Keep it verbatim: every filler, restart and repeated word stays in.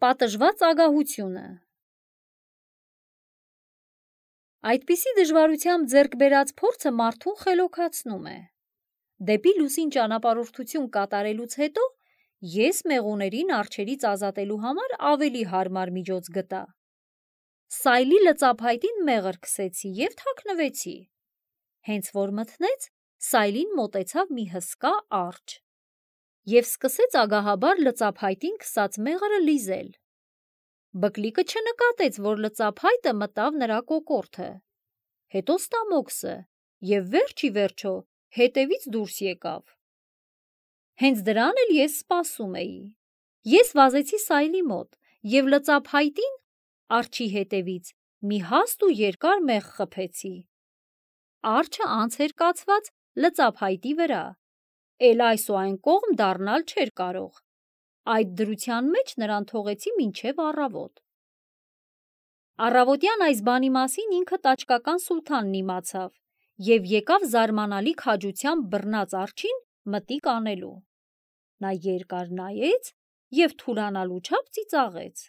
Պատժված ագահությունը։ Այդպիսի դժվարությամբ ձեռք բերած փորձը մարդուն խելոքացնում է։ Դեպի լուսին ճանապարհորդություն կատարելուց հետո ես մեղուներին արջերից ազատելու համար ավելի հարմար միջոց գտա։ Սայլի լծափայտին մեղր քսեցի և թաքնվեցի։ Հենց որ մթնեց, Սայլին մոտեցավ մի հսկա արջ և սկսեց ագահաբար լծափայտին քսած մեղրը լիզել։ Բկլիկը չնկատեց, որ լծափայտը մտավ նրա կոկորդը, հետո ստամոքսը և վերջ ի վերջո հետևից դուրս եկավ։ Հենց դրան էլ ես սպասում էի։ Ես վազեցի Սայլի մոտ և լծափայտին արջի հետևից մի հաստ ու երկար մեղր խփեցի։ Արջը անց էր կացված լծափայտի վրա, էլ այս ու այն կողմ դառնալ չէր կարող։ Այդ դրության մեջ նրան թողեցի մինչև առավոտ։ Առավոտյան այս բանի մասին ինքը տաճկական սուլթանն իմացավ և եկավ զարմանալի քաջությամբ բռնած արջին մտիկ անելու։ Նա երկար նայեց և թուլանալու չափ ծիծաղեց։